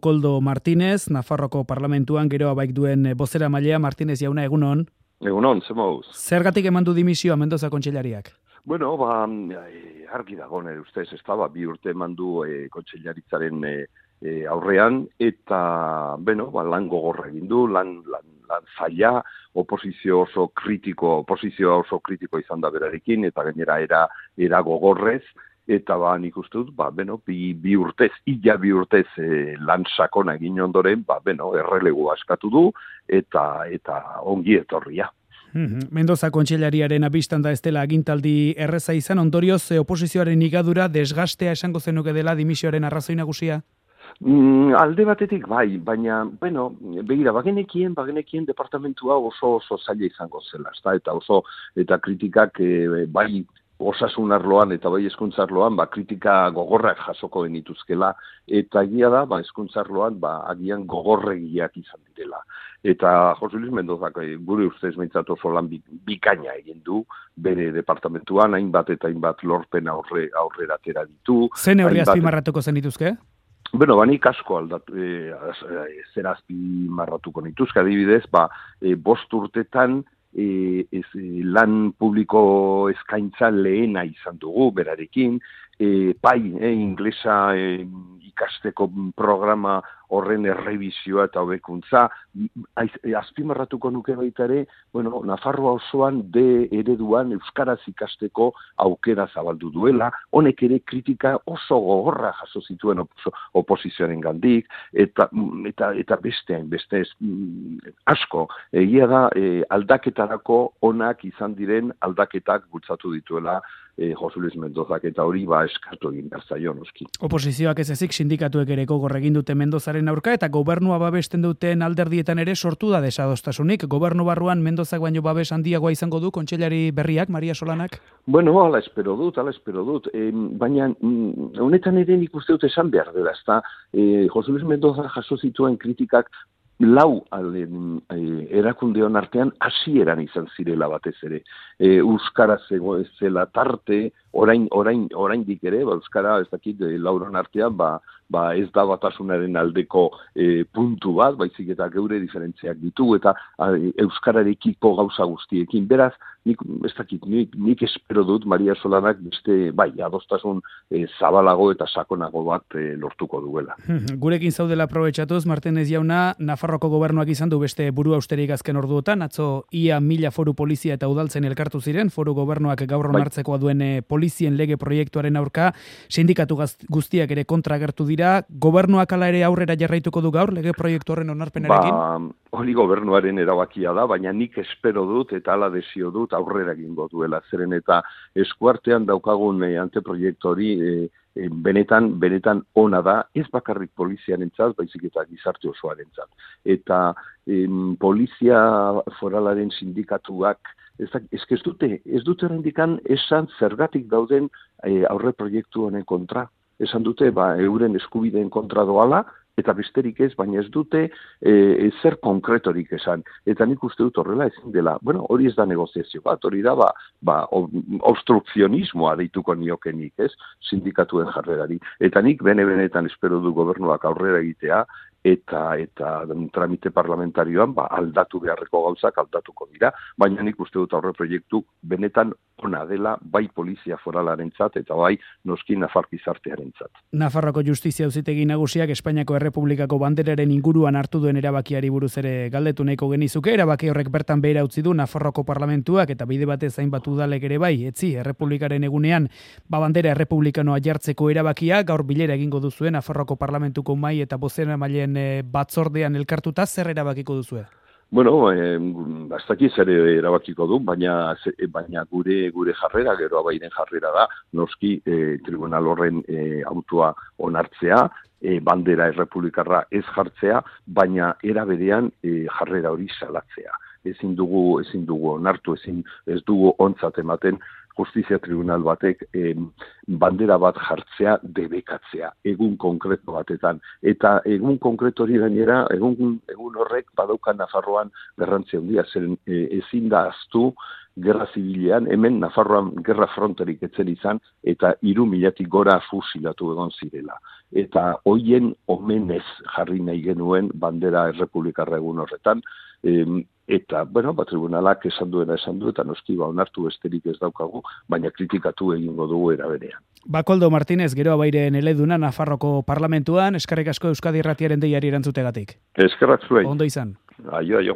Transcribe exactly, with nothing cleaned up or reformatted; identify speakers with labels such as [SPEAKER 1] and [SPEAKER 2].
[SPEAKER 1] Koldo Martínez, Nafarroko Parlamentuan gero abaik duen bozera mailea. Martínez jauna, egunon.
[SPEAKER 2] Egunon, zemauz.
[SPEAKER 1] Zergatik eman du dimisioa Mendoza kontseilariak?
[SPEAKER 2] Bueno, ba, argi dago nire ustez, ez da, ba, bi urte eman du e, kontseilaritzaren e, e, aurrean, eta, bueno, ba, lan gogorra egin du, lan, lan, lan zaila, oposizio oso kritiko, oposizioa oso kritiko izan da berarekin, eta gainera era, era gogorrez, eta ba, nik uste dut, ba, beno, bi, bi urtez, illa bi urtez e, lan sakona egin ondoren, ba, beno, errelegu askatu du, eta, eta ongi etorria.
[SPEAKER 1] Mendoza kontseilariaren abistan da ez dela agintaldi erreza izan, ondorioz oposizioaren igadura desgastea esango zenuke dela dimisioaren arrazoi nagusia?
[SPEAKER 2] Mm, alde batetik bai, baina, bueno, begira, bagenekien, bagenekien departamentua oso oso zaila izango zela, ezta? Eta oso, eta kritikak e, bai osasun arloan eta bai hezkuntza arloan, ba, kritika gogorrak jasoko genituzkela, eta egia da, ba, hezkuntza arloan, ba, agian gogorregiak izan direla. Eta Jose Luis Mendozak gure ustez behintzat oso lan bikaina egin du, bere departamentuan, hainbat eta hainbat lorpen aurre, aurrera atera ditu.
[SPEAKER 1] Zen neurri azpimarratuko zen dituzke?
[SPEAKER 2] Bueno, banik asko aldatu, e, zer azpimarratuko nituzke, adibidez, ba, e, bost urtetan, E, ez, lan publiko eskaintza lehena izan dugu berarekin, e, pai, e, inglesa e, ikasteko programa horren errebizioa eta hobekuntza, azpimarratuko nuke baita ere, bueno, Nafarroa osoan de ereduan euskaraz ikasteko aukera zabaldu duela, honek ere kritika oso gogorra jaso zituen opo, oposizioaren gandik, eta, eta, eta bestean, beste ez, asko, egia da e, aldaketarako onak izan diren aldaketak bultzatu dituela e, Jose Luis Mendozak, eta hori ba eskartu egin behar zaio noski.
[SPEAKER 1] Oposizioak ez ezik sindikatuek ere gogor egin dute Mendozaren aurka, eta gobernua babesten duten alderdietan ere sortu da desadostasunik. Gobernu barruan Mendozak baino babes handiagoa izango du kontseilari berriak, Maria Solanak?
[SPEAKER 2] Bueno, ala espero dut, ala espero dut. E, baina, honetan ere nik uste dut esan behar dela, ezta? E, Jose Luis Mendoza jaso zituen kritikak lau alden, e, erakundeon artean hasieran izan zirela batez ere. E, Euskaraz ez zela tarte, orain orain oraindik ere, ba, euskara ez dakit e, lauron artean, ba, ba ez da batasunaren aldeko e, puntu bat, baizik eta geure diferentziak ditugu eta a, euskararekiko gauza guztiekin. Beraz, nik ez dakit, nik, nik espero dut Maria Solanak beste bai adostasun e, zabalago eta sakonago bat e, lortuko duela.
[SPEAKER 1] Gurekin zaudela aprobetxatuz, Martínez jauna, Nafarroko gobernuak izan du beste buru austerik azken orduotan, atzo ia mila foru polizia eta udaltzen elkartu ziren, foru gobernuak gaur onartzekoa duen polizien lege proiektuaren aurka, sindikatu guztiak ere kontra agertu dira, gobernuak ala ere aurrera jarraituko du gaur lege proiektu horren onarpenarekin?
[SPEAKER 2] Ba, hori gobernuaren erabakia da, baina nik espero dut eta ala desio dut aurrera egingo duela, zeren eta eskuartean daukagun e, anteproiektu hori e, e, benetan, benetan ona da, ez bakarrik poliziarentzat, baizik eta gizarte osoarentzat. Eta em, polizia foralaren sindikatuak Ez, ez, ez dute, ez dute rendikan esan zergatik dauden e, aurre proiektu honen kontra. Esan dute, ba, euren eskubideen kontra doala, eta besterik ez, baina ez dute e, zer konkretorik esan. Eta nik uste dut horrela ezin dela. Bueno, hori ez da negoziazio bat, hori da, ba, ba, obstrukzionismoa deituko niokenik, ez, sindikatuen jarrerari. Eta nik bene-benetan espero du gobernuak aurrera egitea, eta eta tramite parlamentarioan ba, aldatu beharreko gauzak aldatuko dira, baina nik uste dut aurre proiektu benetan ona dela bai polizia foralarentzat eta bai noski Nafar gizartearentzat.
[SPEAKER 1] Nafarroko Justizia Auzitegi Nagusiak Espainiako Errepublikako banderaren inguruan hartu duen erabakiari buruz ere galdetu nahiko genizuke, erabaki horrek bertan behera utzi du Nafarroko parlamentuak eta bide batez hainbat udalek ere bai, etzi Errepublikaren egunean ba bandera errepublikanoa jartzeko erabakia, gaur bilera egingo duzuen Nafarroko parlamentuko mahai eta bozeramaileen batzordean elkartuta, zer erabakiko duzue?
[SPEAKER 2] Bueno, eh, bastaki zer erabakiko du, baina baina gure gure jarrera, gero abairen jarrera da, noski eh, tribunal horren eh, autua onartzea, eh, bandera errepublikarra ez jartzea, baina era berean eh, jarrera hori salatzea. Ezin dugu, ezin dugu onartu, ezin ez dugu ontzat ematen justizia tribunal batek eh, bandera bat jartzea debekatzea, egun konkreto batetan. Eta egun konkreto hori gainera, egun, egun horrek badaukan Nafarroan garrantzia handia, zeren eh, ezin da ahaztu gerra zibilean, hemen Nafarroan gerra fronterik etzen izan, eta hiru milatik gora fusilatu egon zirela. Eta hoien omenez jarri nahi genuen bandera errepublikarra egun horretan, em, eta, bueno, ba, tribunalak esan duena esan du, eta noski ba, onartu besterik ez daukagu, baina kritikatu egingo dugu eraberean.
[SPEAKER 1] Bakoldo Martínez, Geroa Bairen eleduna Nafarroko parlamentuan, eskerrik asko Euskadi Irratiaren deiari erantzutegatik.
[SPEAKER 2] Eskerrak zuei.
[SPEAKER 1] Ondo izan.
[SPEAKER 2] Aio, aio.